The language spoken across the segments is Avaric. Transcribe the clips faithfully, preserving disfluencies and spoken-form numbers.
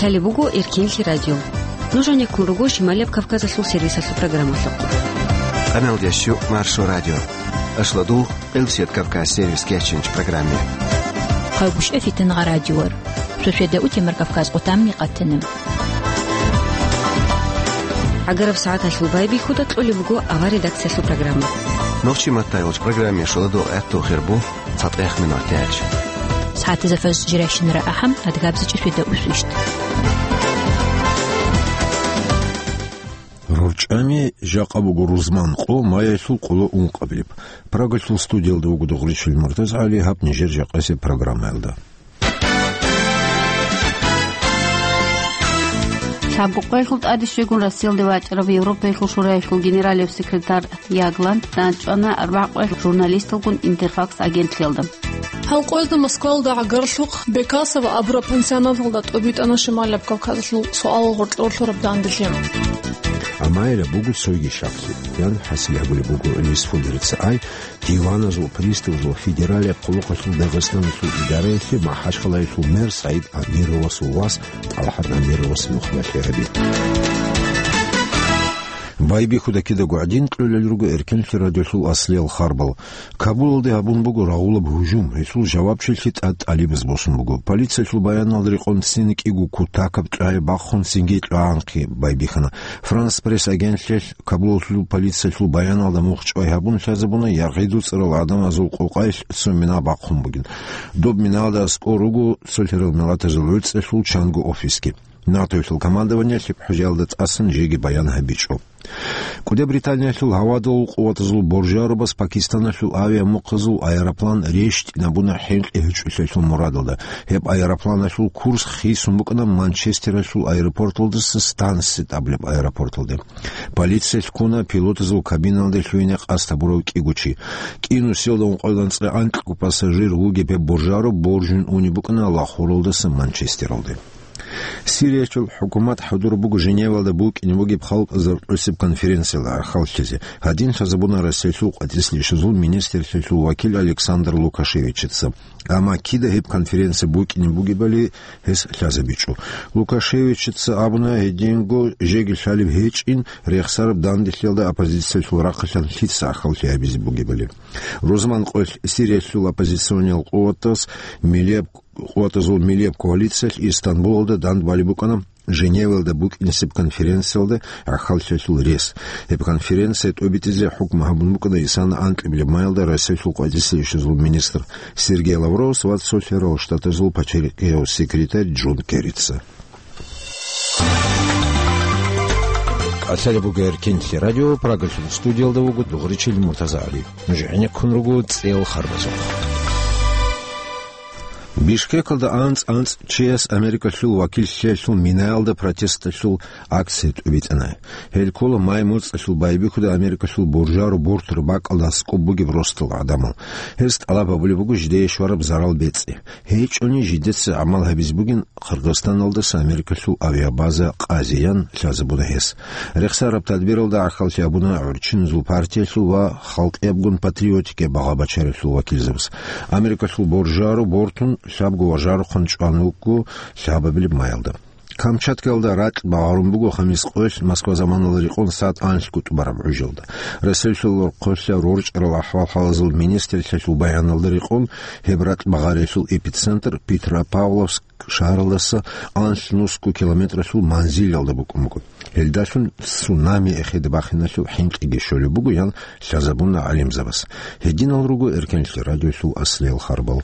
Гьале буго Эркенлъи радио. Нуж гьанеккун руго Шималияб Кавказалъул сервисалъул программалъухъ. Къаналдящу Маршо радио. Ашладул Къилсият Кавказ сервис кечинч программе. Хъалбушев Фитнагъа радиор. Суседа Утемар Кавказ къутамни къатана. ГӀагараб сагӀаталъул байбихьуда кьолеб буго авар редакциялъул программа. Нохчи маттайолч программе шоладо гӀатту хирбу цатӀех минутач. СагӀатазда фаз жиращинара ахӀам, адгабзичӀи суседа усвищт. РорчӀами жакъа буго рузман къо, маялъул къоло ункъабилеб. Прагалъул студиялда вуго Дугъричил МуртазгӀали, гьаб нижер жакъасеб программаялда. Лъабго къоялъул тӀаде щвегун Россиялде вачӀарав Европаялъул Шураялъул генералияб секретарь Ягланд данчӀвана арбагӀ къоялъ журналисталгун Интерфакс агентлъиялда. Гьал къоязда Москвалда гӀагарлъухъ Бекасово абураб пансионаталда тӀубитӀана Шималияб Кавказалъул суалал гъоркьор лъураб данделъи. Амайра буго цойги щаклъи, ян хӀасил гьабулеб буго Лисфулерица ай, диваназул, приставазул, федералияб къуллукъалъул Дагъистаналъул идараялъе МахӀачхъалаялъул мэр СагӀид Амировасул вас ТӀалхӀат Амировас нухмалъи гьаби. Байбихьуда кидаго гӀадин кьолел руго Эркенлъи радиолъул аслиял харбал. Кабулалде гьабун буго рагъулаб гьужум, гьелъул жавабчилъи тӀад тӀалибаз босун буго. Полициялъул баяналда рекъон ццин кӀиго кутакаб чӀвай бахъун цинги чӀвагӀанхъи байбихьана. Франс Пресс агентлъиялъ Кабулалъул полициялъул баяналда мухчӀвай гьабун лъазабуна яргъи дуцӀарал гӀадамазул къокъаялъ цо мина бахъун бугин. Доб миналда аскӀор руго цолъарал миллатазул гӀуцӀралъул чанго офисги. НАТОялъул командованиялъ гьеб хӀужаялда тӀасан жеги баян гьабичӀо. КӀуде Британиялъул гьавадул къуватазул боржарубас Пакистаналъул авиамухъазул аэроплан рещтӀинабуна хӀинкъи гьечӀолъиялъул мурадалда. Гьеб аэропланалъул курс хисун букӀана Манчестералъул аэропорталдаса Станстед абулеб аэропорталде. Полициялъ ккуна пилотазул кабиналде лъугьине къасд гьабурав кӀиго чи. КӀинусиялда ункъоялда анцӀила анкьго пассажир вугеб гьеб боржару боржун унеб букӀана Лахоралдаса Манчестералде. Сириялъул хӀукумат хӀадур буго Женевалда букӀине бугеб халкъазул тӀоцеб конференциялда гӀахьаллъизе. Гьадин лъазабуна Россиялъул къватӀислъи ишазул министрлъиялъул вакил Александр Лукашевичица. Амма кида гьеб конференция букӀине бугебали гьес лъазабичӀо. Лукашевичица абуна, гьединго жеги лъалеб гьечӀин, рехсараб данделъиялда оппозициялъул рахъалъан лъица гӀахьаллъи гьабизе бугебали. Рузман къоялъ Сириялъул оппозициониял къуватаз милияб къуватазул милияб коалициялъ Истанбулалда дандбалеб букӀана Женевалда букӀинесеб конференциялда гӀахьаллъиялъул рес. Гьеб конференция тӀобитӀизе хӀукму гьабун букӀана исана анкьабилеб майалда Россиялъул къватӀислъи ишазул министр Сергей Лавровас ва Цолъарал Штатазул пачалихъияв секретарь Джон Керрица. Алъали бугер Кинлъи радио, Прагалъул студиялда вуго Дугъричил МуртазагӀали. Нуж гӀенеккун руго цӀел харбазухъ. Бишкекалда анцӀ-анцӀ чияс Америкалъул вакиллъиялъул минаялда протесталъул акция тӀубитӀана. Гьел ккола май моцӀалъул байбихьуда Америкалъул буржару бортур бакӀалда аскӀоб бугеб ростал гӀадамал. Гьез тӀалаб гьабулеб буго жидее щвараб зарал бецӀи. ГьечӀони жидеца гӀамал гьабизе бугин Хъаргъистаналдаса Америкалъул авиабаза къазеян лъазабуна гьес. Рехсараб тадбиралда гӀахьаллъи гьабуна гӀурччиназул партиялъул ва халкъиябгун патриотикияб багъа-бачаралъул вакилзабаз. Америкалъул боржару бортун лъабго важарухъан чӀван вукӀго лъабабилеб майалда. Камчаткаялда ракь багъарун буго хамис къоялъ Москва заманалда рекъон сагӀат анлъго тӀубараб гӀужалда. Россиялъул рохъолъа рорчӀарал ахӀвал-хӀалазул министрлъиялъул баяналда рекъон, гьеб ракь багъариялъул эпицентр Петропавловск шагьаралдаса анлъ нусго километралъул манзилалда букӀун буго. Гьелдалъун цунами эхеде бахиналъул хӀинкъиги щолеб буго, ян лъазабуна гӀалимзабаз. Гьединал руго Эркенлъи радиолъул аслиял харбал.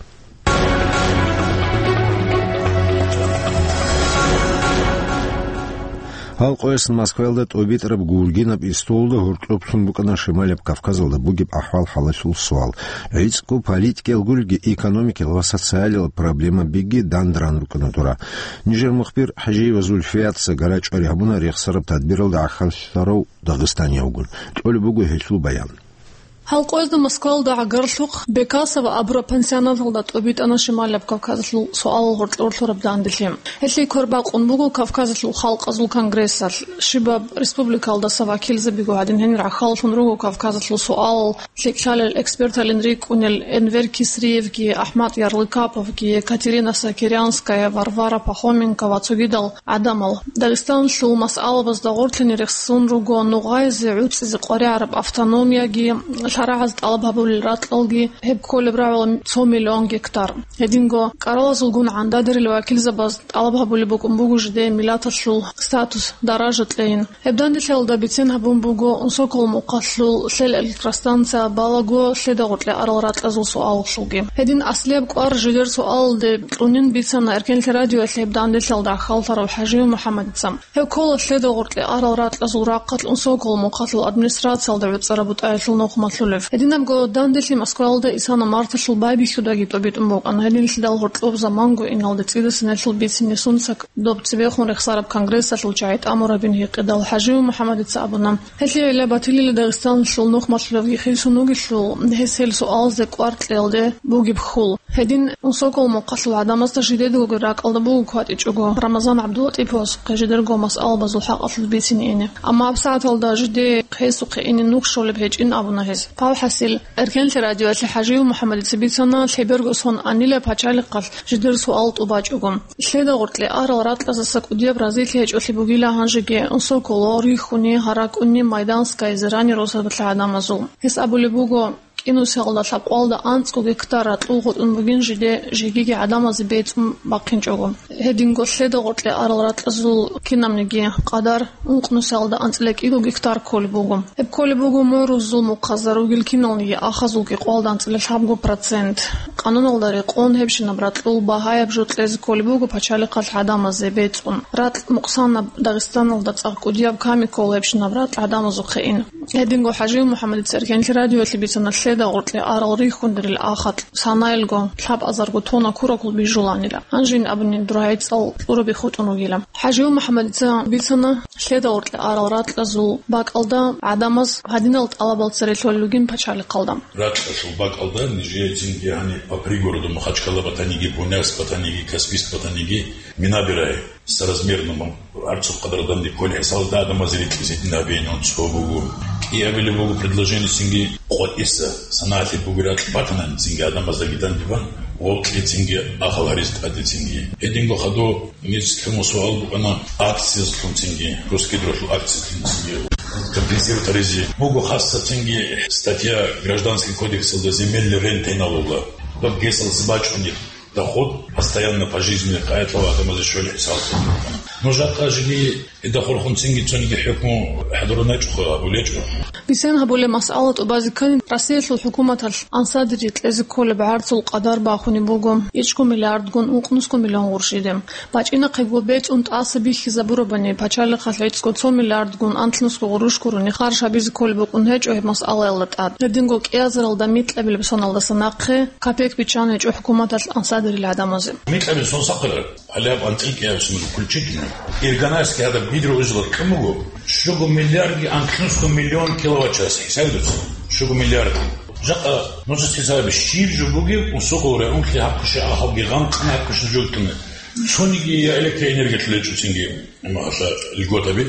Гьал къоясан Москваялда тӀобитӀараб гургинаб истолда гьоркьоб лъун букӀана Шималияб Кавказалда бугеб ахӀвал-хӀалалъул суал. ГӀицӀго политикиял гурги, экономикиял ва социалиял проблемабиги дандран рукӀана дура. Нижер мухбир ХӀажиева Зульфиятца гарачӀвари гьабуна рехсараб тадбиралда гӀахьаллъарав дагъистаниявгун. Кьолеб буго гьелъул баян. Гьал къоязда Москвалда гӀагарлъухъ Бекасово абураб пансионаталда тӀобитӀана Шималаб Кавказалъул суалал гъоркье урлъураб данделъи. Гьелъие квер бакъун буго Кавказалъул халкъазул конгрессалъ. Щибаб республикалдаса вакилзабиго гьадин гьенир гӀахьаллъун руго Кавказалъул суалал лъикӀлъалел эксперталин рикӀкӀунел Энвер Кисриевги, АхӀмад Ярлыкаповги, Екатерина Сокирянская, Варвара Пахоменко ва цогидал гӀадамал. Дагъистаналъул масъалабазда гъорлъине рехсон руго нугъаизе гӀуцӀизе къваригӀараб автономияги, лъарагӀаз тӀалаб гьабулел ракьалги, гьеб кколеб рагӀула цо миллион гектар. Гьединго кӀаралазулгун гӀандадерил вакилзабаз тӀалаб гьабулеб букӀун буго жидее миллаталъул статус, даража кьейин. Гьеб данделъиялда бицен гьабун буго Унсокол мухъалъул лъел электростанция балаго лъеда гъоркье арал ракьазул суалалъулги. Гьедин аслияб кӀвар жидер суалалде кьунин бицана Эркенлъи радиоялъе гьеб данделъиялда гӀахьаллъарав ХӀажиев МухӀаммадица. Гьев ккола лъеда гъоркье арал ракьазул рахъалъ Унсокол мухъалъул администрациялда гӀуцӀараб бутӀаялъул нухмалъулев. Гьединабго данделъи Москваялда исана марталъул байбихьудаги тӀобитӀун букӀана, гьединлъидал гьоркьоб заманго иналде цӀидасан гьелъул бицине сунцак доб цебехун рехсараб конгрессалъул чагӀи тӀамурабин гьикъидал ХӀажиев МухӀаммадица абуна. Гьелъие гӀилла батилила Дагъистаналъул нухмалъулевги хисун вугелъул, гьес гьел суалазде кӀвар кьеялде бугеб хьул. Гьедин Унсокол мухъалъул гӀадамазда жидедалги ракӀалда буго кватӀичӀого Рамазан ГӀабдулатӀиповасухъе жидерго масъалабазул хӀакъалъулъ бицине ине. Амма гьабсагӀаталда жиде хъесухъе ине нух щолеб гьечӀин абуна гьес. Палхасил, Эркенлъи радиоялъе ХӀажиев МухӀаммадица бицана лъеберго сон анила пачалихъалъ жидер суал тӀубачӀого. Лъеда гъоркье арал ракьазаса кӀудияб разилъи гьечӀолъи бугила гьанжеги Унсоколо, Рихуни, Гьаракуни, Майданскайзе, Рани росабалъа гӀадамазул. Гьес абулеб буго, кӀинусиялда лъабкъоялда анцӀго гектар ракьул гъотӀун бугин жиде жегиги гӀадамазе бецӀун бахъинчӀого. Гьединго лъеда гъоркье арал ракьазул кинабниги къадар ункънусиялда анцӀила кӀиго гектар кколеб буго. Гьеб кколеб буго морузул мухъазда ругел киналниги ахазул кӀикъоялда анцӀила лъабго процент. Къануналда рекъон гьебщинаб ракьул багьаяб жо кьезе кколеб буго пачалихъалъ гӀадамазе бецӀун. Ракь мукъсанаб Дагъистаналда цӀакъ кӀудияб ками ккола гьебщинаб ракь гӀадамазухъе ин. Гьединго ХӀажиев МухӀаммадица Эркенлъи радиоялъе бицана лъеда гъоркье арал Рихундерил ахатӀ санаялго лъабазарго тонна куракул бижуланила. Гьанжин абуни дур гӀицӀал кьураби хутӀун ругила. ХӀажиев МухӀаммадица бицана лъеда гъоркье арал ракьазул бакӀалда гӀадамаз гьадинал тӀалабал цере лъолел ругин пачалихъалда. Ракьалъул бакӀалда нижее цинги гьаниб по пригороду Махачкала батаниги, Буйнакск батаниги, Каспийск батаниги, Минабирай. Соразмерно ма-, гьаб цо къадар данде кколеб хӀисабалда гӀадамазе рикьизе дин гьабеян цо буго. КӀиабилеб буго предложение цинги къватӀиса, санагӀалъи бугеб ракь батанани цинги гӀадамаздаги данде бан, вокьи цинги ахал гьаризе тӀаде цинги. Гьединго хадув нилъ лъугьун суал букӀана акциялъун цинги, Русгидролъул акциялъун цинги. Компенсировать гьаризе буго хасса цинги статья Гражданский кодексалда земельный рент гьенал ругла. Доб гесалъ бачӀунеб. Доход постоянно пожизненно къайилъул гӀадамазе щвел хӀисаб. Ну, жакъа жиги гьедахъулхъунцинги цониги хӀукму хӀадураначӀухъа, абулечӀо. Бицен гьабулеб масъала тӀубазе ккани, Россиялъул хӀукуматалъ ансадире кьезе кколеб гӀарцул къадар бахунеб буго, ичӀго миллиардгун ункънусго миллион гъурщиде. БачӀинахъего бецӀун тӀаса бихьизабурабани, пачалихъалъ гӀицӀго цо миллиардгун анлънусго гъурущ гурони харж гьабизе кколеб букӀун гьечӀо гьеб масъалаялда тӀад. Гьединго кӀиазаралда микьабилеб соналдаса нахъе капек биччан гьечӀо хӀукуматалъ ансадирил гӀадамазе. Микьабил сон сахъира, гьале гьаб анцӀила кӀиабилеб сон включительно. Ирганаевский гьадаб гидроузел кьун буго, щуго миллиардги анлънусго миллион киловатт-час, хӀисаб дуца, щуго миллиардги. Жакъа нужеца хӀисабе, щиб жо бугеб, Унсокол районлъи гьаб куша ахалги гъанкъна гьаб куша жо кьуна. Цониги я электроэнергиялъул гьечӀоцинги. Амма гьалъа льготаби.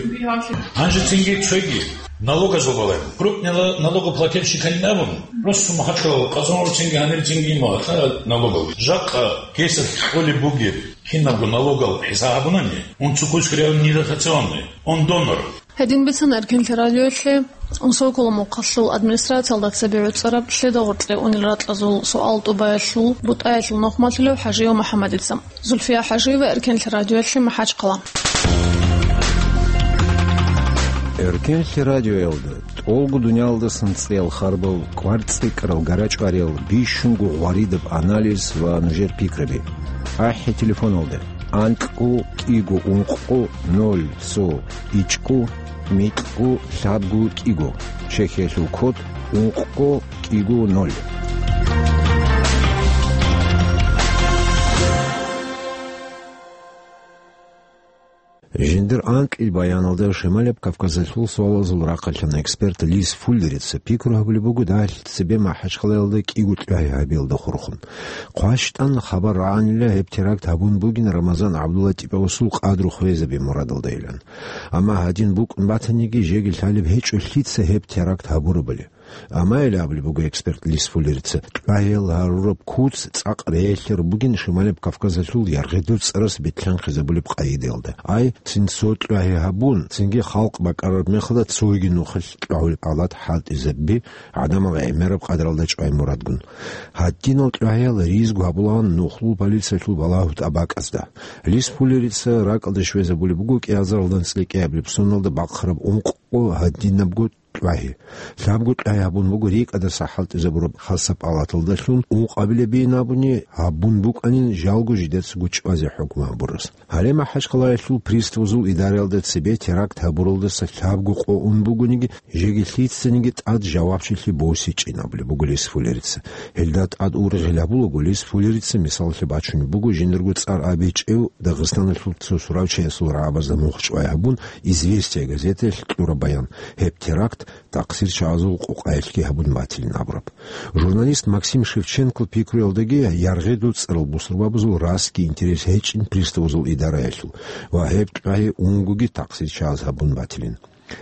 Гьанже цинги цоги налогазул балай. Крупный нала-, налогоплательщикалин абун, просто Махачкалал, Къазанал цинги, гьанир цинги има гьалъа налогал. Жакъа гесалъ кьолеб бугеб кинабго налогал хӀисаб гьабунани, он цукуск реально недоотработанный, он донор. Гьедин бицана Эркенлъи радиоялъе Унсокол мухъалъул администрациялда цебе гӀуцӀараб лъеда гъоркье унел ракьазул суал тӀубаялъул бутӀаялъул нухмалъулев ХӀажиев МухӀаммадица. Зульфия ХӀажиева, Эркенлъи радиоялъе, МахӀачхъала. Эркенлъи радиоялда тӀолго дуниялдасан цӀеял харбал, кварцӀикӀкӀарал гарачӀвариял, бищунго гъваридаб анализ ва нужер пикраби. АхӀи телефоналда: анкьго кӀиго ункъго ноль цо ичӀго микьго лъабго кӀиго, Чехиялъул код ункъго кӀиго ноль. Жиндир анкьил баяналда Шималаб Кавказалъул суалазул рахъалъан эксперт Лис Фуллерица пикру гьабулеб буго дагьалъ цебе МахӀачхъалаялда кӀиго кьвагьи гьабиялда хурхун. ХъващтӀан хабар рагӀанила гьеб теракт гьабун бугин Рамазан ГӀабдуллатӀиповасул къадру хвезаби мурадалдайилан. Амма гьадин букӀун батаниги, жеги лъалеб гьечӀо лъица гьеб теракт гьабурабали. Амма гьеле абулеб буго эксперт Лис Фуллерица, кьвагьиял гьарураб куц цӀакъ реялъе рубугин Шималаб Кавказалъул яргъидул цӀарас бетӀлъанхъизабулеб къагӀидаялда. Ай, цин цо кьвагьи гьабун, цинги халкъ бакӀарараб мехалда цоги нухалъ кьвагьулеб гӀалат хӀалтӀизаби гӀадамал гӀемераб къадралда чӀвай мурадгун. Гьадинал кьвагьиял ризгу гьабулаан нухлул полициялъул балагьу тӀабакӀазда. Лис Фуллерица ракӀалде щвезабулеб буго кӀиазаралда анцӀила кӀиабилеб соналда бахъараб ункъго гьадинабго кьвагьи. Лъабго кьвагьи гьабун буго рикӀкӀадаса хӀалтӀизабураб хасаб палаталдалъун, ункъабилеб бин абуни гьабун букӀанин жалго жидецаго чӀвазе хӀукму гьабурас. Гьале МахӀачхъалаялъул приставазул идараялда цебе теракт гьабуралдаса лъабго къо ун бугониги, жеги лъицаниги тӀад жавабчилъи босичӀин абулеб буго Лис Фуллерица. Гьелда тӀад ургъел гьабулаго Лис Фуллерица мисаллъи бачунеб буго жиндарго цӀар абичӀев Дагъистаналъул цо суравчиясул рагӀабазда мухъ чӀвай гьабун, «Известия» газетаялъ кьураб баян. Гьеб теракт такъсирчагӀазул къукъаялъги гьабун батилин абураб. Журналист Максим Шевченкол пикруялдаги яргъидул цӀарал бусурбабазул расги интерес гьечӀин приставазул идараялъул ва гьеб кьвагьи унгоги такъсирчагӀаз гьабун батилин.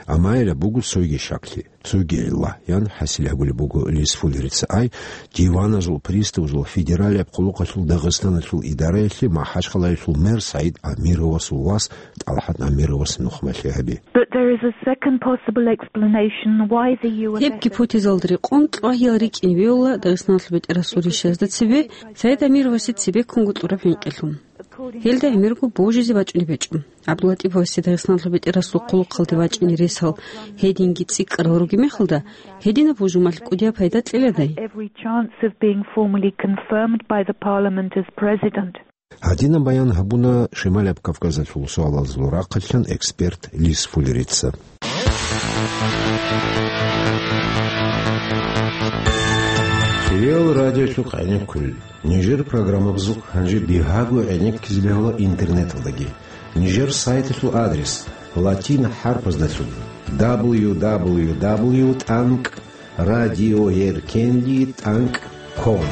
Амма гьелаб буго цоги щаклъи, цоги гӀилла, ян хӀасил гьабулеб буго Лис Фуллерица. Ай, диваназул приставазул федералияб хъулухъалъул Дагъистаналъул идараялъе МахӀачхъалаялъул мэр СагӀид Амировасул вас ТӀалхӀат Амировас нухмалъи гьаби. But there is a second possible explanation why the U S Гьеб гипотезалда рекъон кьвагьиял рикӀкӀине бегьула Дагъистаналъул бетӀерасул ришазда цебе СагӀид Амировасе цебеккунго кьураб хӀинкъилъун. Гьелда гӀемерго божизе бачӀунеб гьечӀо. ГӀабдуллатӀиповасе Дагъистаналъул бетӀерасул хъулухъалде вачӀине ресал гьединги цӀикӀкӀарал ругеб мехалда, гьединаб божумалъ кӀудияб пайда кьеладай? Every chance of being formally confirmed by the parliament as president. Гьадинаб баян гьабуна Шималаб Кавказалъул суалазул рахъалъан эксперт Лис Фуллерица. Риал радиолъухъ гӀенеккулел. Нижер программабазухъ гьанже бигьаго гӀенеккизе бегьула интернеталдаги. Нижер сайталъул адрес латин хӀарпаздалъун: дабл ю дабл ю дабл ю тӀанкӀ радиоеркенлъи тӀанкӀ ком.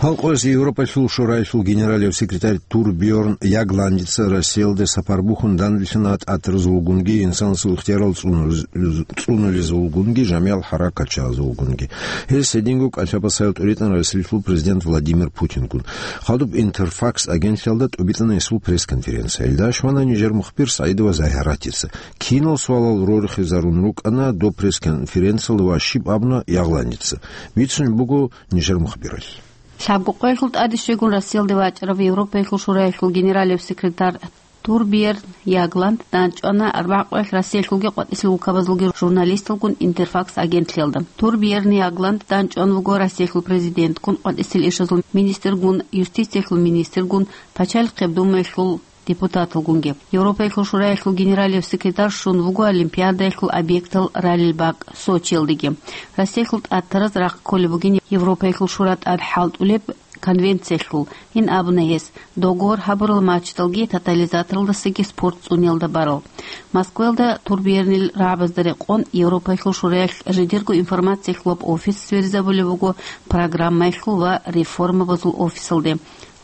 Гьал къояс Европалъул Шораялъул генералияб секретарь Турбьорн Ягландица Россиялде сапар бухьун данделъана тӀатаразулгунги инсанасул ихтиярал цӀунулез-, цӀунулезулгунги жамигӀал хӀаракатчагӀазулгунги. Гьес гьединго кӀалъа-пасаял тӀуритӀана Россиялъул президент Владимир Путингун. Хадуб Интерфакс агентлъиялда тӀубитӀана гьесул пресс-конференция. Илдаш вана нижер мухбир СагӀидова Загьаратица. Кинал суалал рорхизарун рукӀана доб пресс-конференциялда ва щиб абуна Ягландица? Бицунеб буго нижер мухбиралъ. Лъабго къоялъул тӀаде щвегун Россиялде вачӀарав Европаялъул Шораялъул генералияб секретарь Турбьерн Ягланд данчӀвана, арбагӀа къоялъ Россиялъулги къватӀисел улкабазулги журналисталгун Интерфакс агентлъиялда. Турбьерн Ягланд данчӀван вуго Россиялъул президентгун, къватӀисел ишазул министргун, юстициялъул министргун, Пачалихъеб Думаялъул депутаталгунги. Европаялъул Шораялъул генералияб секретарь щун вуго Олимпиадаялъул объектал ралел бакӀ Сочиялдеги. Россиялъул тӀатараз рахъ кколеб бугин Европаялъул Шура тӀад хӀалтӀулеб конвенциялъул, ин абуна гьес, договор гьабурал матчдалги тотализаторалдасаги спорт цӀуниялда барал. Москваялда Турбьернил рагӀабазда рекъон Европаялъул Шураялъ жидерго информациялъулаб офис сверизабулеб буго программаялъул ва реформабазул офисалде.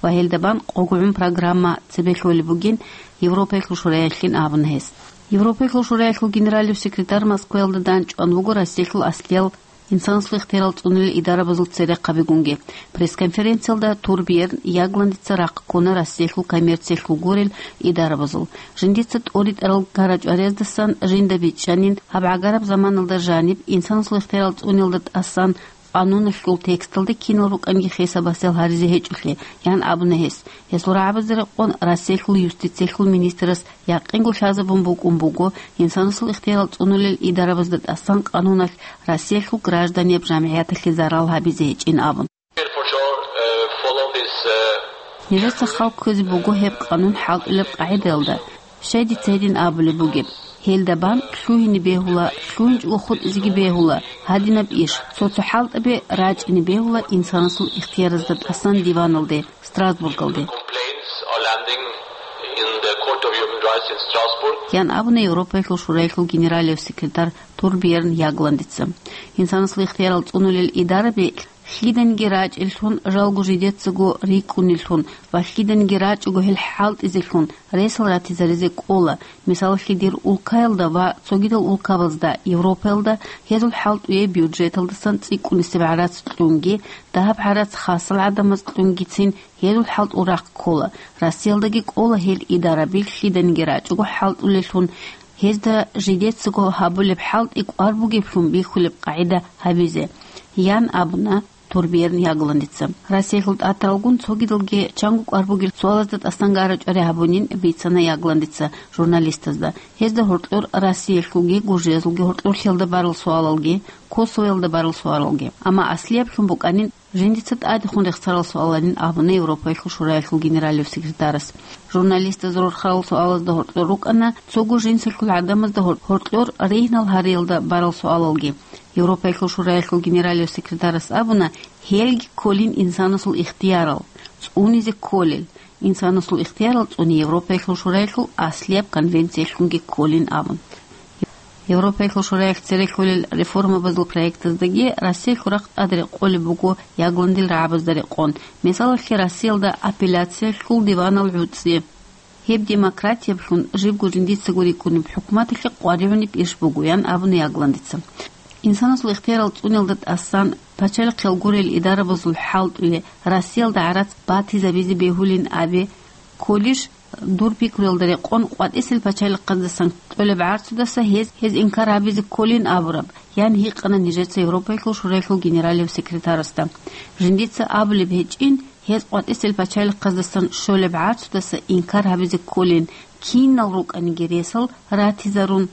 Ва гьелда бан къогогӀун программа цебе лъолеб бугин Европаялъул Шураялъин абуна гьес. Европаялъул Шураялъул генералияб секретарь Москваялда данчӀван вуго Россиялъул аслиял инсанасул ихтиярал цӀунулел идарабазул церехъабигунги. Пресс-конференциялда Турбьерн Ягландица рахъ ккуна Россиялъул коммерциялъул гурел идарабазул. Жиндица тӀоритӀарал гара-чӀварездасан жинда бичӀчӀанин, гьаб гӀагараб заманалда жаниб инсанасул ихтиярал цӀуниялда тӀасан къануналъул тексталда кинал рукӀанги хисаб-гьасиял гьаризе гьечӀолъи, ян абуна гьес. Гьесул рагӀабазда рекъон Россиялъул юстициялъул министрас якъинго лъазабун букӀун буго, инсанасул ихтиярал цӀунулел идарабазда тӀасан къануналъ Россиялъул гражданияб жамгӀияталъе зарал гьабизе гьечӀин абун. People should, uh, follow this, uh, Нижеца хал кквезе буго гьеб къанун хӀалтӀулеб къагӀидаялда. Щай дица гьедин абулеб бугеб? Гьелда бан лъугьине бегьула, лъугьинчӀого хутӀизеги бегьула гьадинаб иш, цо-цо хӀалтӀаби рачӀине бегьула инсанасул ихтияразда тӀасан диваналде, Страсбургалде. Complaints are landing of Human Rights in Strasbourg. Ян абуна Европаялъул Шураялъул генералияб секретарь Торберн Ягландица. Инсанасул ихтиярал цӀунулел идараби лъиданиги рачӀеллъун, жалго жидецаго рикӀкӀунеллъун ва лъиданиги рачӀого гьел хӀалтӀизеллъун ресал ратизаризе кӀола. Мисалалъе, дир улкаялда ва цогидал улкабазда, Европаялда гьезул хӀалтӀуе бюджеталдасан цӀикӀкӀунисеб гӀарац кьунги, дагьаб гӀарац хасал гӀадамаз кьунгицин, гьезул хӀалтӀул рахъ ккола. Россиялдаги кӀола гьел идараби лъиданиги рачӀого хӀалтӀулеллъун, гьезда жидецаго гьабулеб хӀалтӀи кӀвар бугеблъун бихьулеб къагӀида гьабизе, ян абуна Торберн Ягландица. Россиялъул тӀатаралгун цогидалги чанго кӀвар бугел суалазда тӀасанга рачӀари гьабунин бицана Ягландица журналистазда. Гьезда гьоркьор Россиялъулги Гуржиязулги гьоркьорлъиялда барал суалалги, Косовоялда барал суалалги. Амма аслияблъун букӀанин, жиндица тӀадехун рехсарал суаланин абуна Европаялъул Шураялъул генералияб секретарас. Журналистаз рорхарал суалазда гьоркьор рукӀана цого жинсалъул гӀадамазда гьор-, гьоркьор ригьнал гьариялда барал суалалги. Европаялъул Шураялъул генералияб секретарас абуна, гьелги кколин инсанасул ихтиярал, цӀунизе кколел. Инсанасул ихтиярал цӀуни Европаялъул Шураялъул аслияб конвенциялъунги кколин абун. Европаялъул Шураялъ церехъулел реформабазул проектаздаги Россиялъул рахъ тӀад рекъолеб буго Ягландил рагӀабазда рекъон. Мисалалъе, Россиялда апелляциялъул диванал гӀуцӀи. Гьеб демократиялъун жибго жиндицаго рикӀкӀунеб хӀукуматалъе къваригӀунеб иш буго, ян абуна Ягландица. Инсанасул ихтиярал цӀуниялда тӀасан пачалихъел гурел идарабазул хӀалтӀуе Россиялда гӀарац батизабизе бегьулин абе кколищ, дур пикруялда рекъон къватӀисел пачалихъаздасан кьолеб гӀарцудаса гьез, гьез инкар гьабизе кколин абураб, ян гьикъана нижеца Европаялъул Шураялъул генералияб секретарасда. Жиндица абулеб гьечӀин, гьез къватӀисел пачалихъаздасан щолеб гӀарцудаса инкар гьабизе кколин, кинал рукӀаниги ресал ратизарун,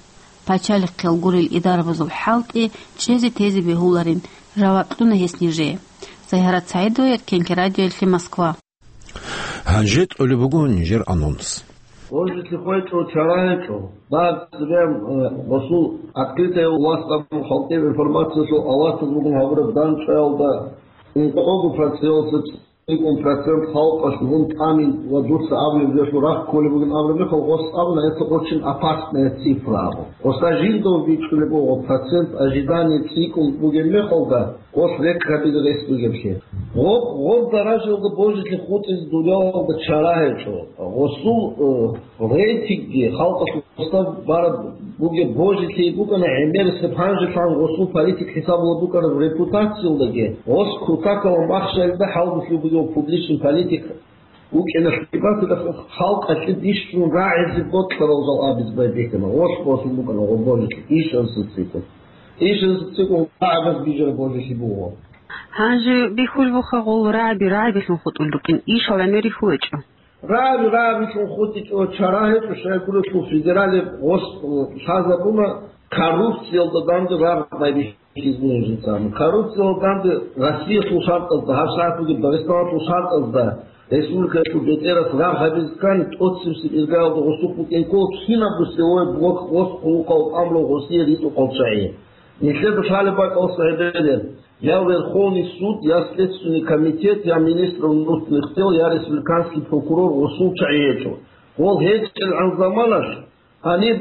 пачалихъел гурел идарабазул хӀалтӀи чӀезе-тезе бегьуларин, жаваб кьуна гьес нижее. Загьарат СагӀидова, Эркенлъи радиоялъе, Москва. Гьанже тӀолеб буго нижер анонс. Божитлъи хвечӀо, чара гьечӀо. Баб цебе, э, гъосул открытая власть абун халкъи информациялъул аватаз бугун гьабураб данчӀваялда ункъого проценталъ цӀикӀкӀун процент халкъалъ гьун тӀамин ва дуца абулеб жоялъул рахъ кколеб бугин абураб мехалъ, гъос абуна, это очень опасная цифра абун. Гъосда жиндав бичӀчӀулеб буго процент ожидания цӀикӀкӀун бугеб мехалда, гъос рекъ гьабизе рес бугеблъи. Гъоб, гъоб даражаялда божилъи хутӀизе дуниялалда чара гьечӀо. Гъосул, э, рейтингги халкъалъ гъосда бараб бугеб божилъи букӀана гӀемерисеб гьанжелъан гъосул политик хӀисабулеб букӀараб репутациялдаги, гъос кутакалда махщалида хӀалбулъи бугев публичный политик вукӀиналъе батила халкъалъе бищун рагӀизе бокьарал жал абизе байбихьана. Гъос гъосул букӀана гъо божилъи ишанзецикӀун. ИшанзецикӀун рагӀабаз бижараб божилъи буго. Гьанже бихьулеб буха гъол рагӀаби рагӀабилъун хутӀулел рукӀин, ишал гӀемер рихьулечӀо. РагӀаби рагӀабилъун хутӀичӀо, чара гьечӀо, щайгурелъул федералияб гъос лъазабуна коррупциялда данде рагъ байбихьизабун жинцаан. Коррупциялда данде Россиялъул шартӀазда, гьабсагӀат бугеб Дагъистаналъул шартӀазда, республикаялъул бетӀерас рагъ гьабизе ккани, тӀоцебесеб иргаялда гъосухъ букӀин ккола кинабго силовой блок гъос хъулухъав тӀамурав гъосие ритӀухъав чагӀи. Нилъеда лъалеб бакӀалъ гьеб гьеб. Я Верховный суд, я Следственный комитет, я министр внутренних дел, я республиканский прокурор гъосул чагӀи гьечӀо. Гъол гьечӀелгӀан заманалъ гьаниб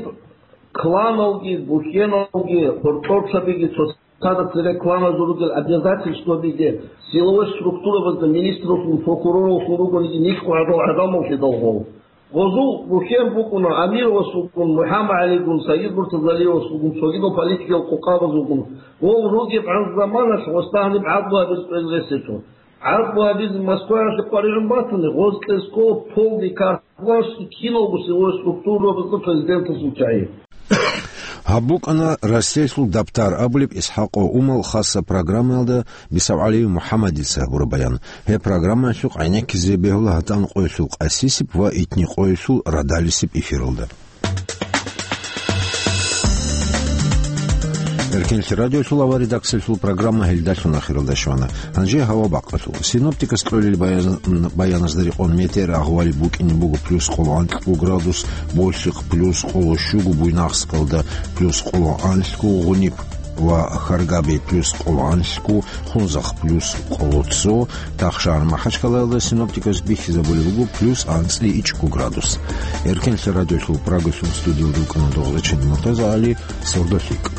кланалги, бухьеналги, гьоркьорцабиги, цоцазда цере кланазул ругел обязательствабиги, силовой структурабазда министралъун, прокурорлъун ругониги нилъго гӀадал гӀадамал лъидал гъол. Гъозул бухьен букӀуна Амировас вукӀун, МухӀаммадгӀалигун, Сагид Муртазалиевас вугун, цогидал политикиял къукъабаз вугун. Гъол ругебгӀан заманалъ гъосда гьаниб гӀадлу гьабизе кӀвезе рес гьечӀо. ГӀадлу гьабизе Москваялъе къваригӀун батани, гъоз кьезе ккола полный карт власть киналго силовой структурабазда президентасул чагӀи. Гьаб букӀана Россиялъул Дабтар абулеб ИсхӀакъов Умал хасаб программаялда БицалгӀалиев МухӀаммадица гьабураб баян. Гьеб программаялъухъ гӀенеккизе бегьула гьатӀан къоялъул къасисеб ва итни къоялъул радалисеб эфиралда. Эркенлъи радиолъул авария редакциялъул программа гьелдалъун ахиралда щвана. Гьанже гьава бакъалъул. Синоптикас кьолел баян-, баяназда рекъон метеор агьвали букӀине буго плюс къоло анкьго градус, Болъихъ плюс къоло щуго, Буйнакскалда плюс къоло анлъго, Гъуниб ва Харгаби плюс къоло анлъго, Хунзахъ плюс къоло цо, Тахшар-МахӀачкъалаялда синоптикас бихьизабулеб буго плюс анцӀила ичӀго градус. Эркенлъи радиолъул Прагалъул студиялда вукӀана Догъзачен МуртазагӀали, сордолъи кӀ.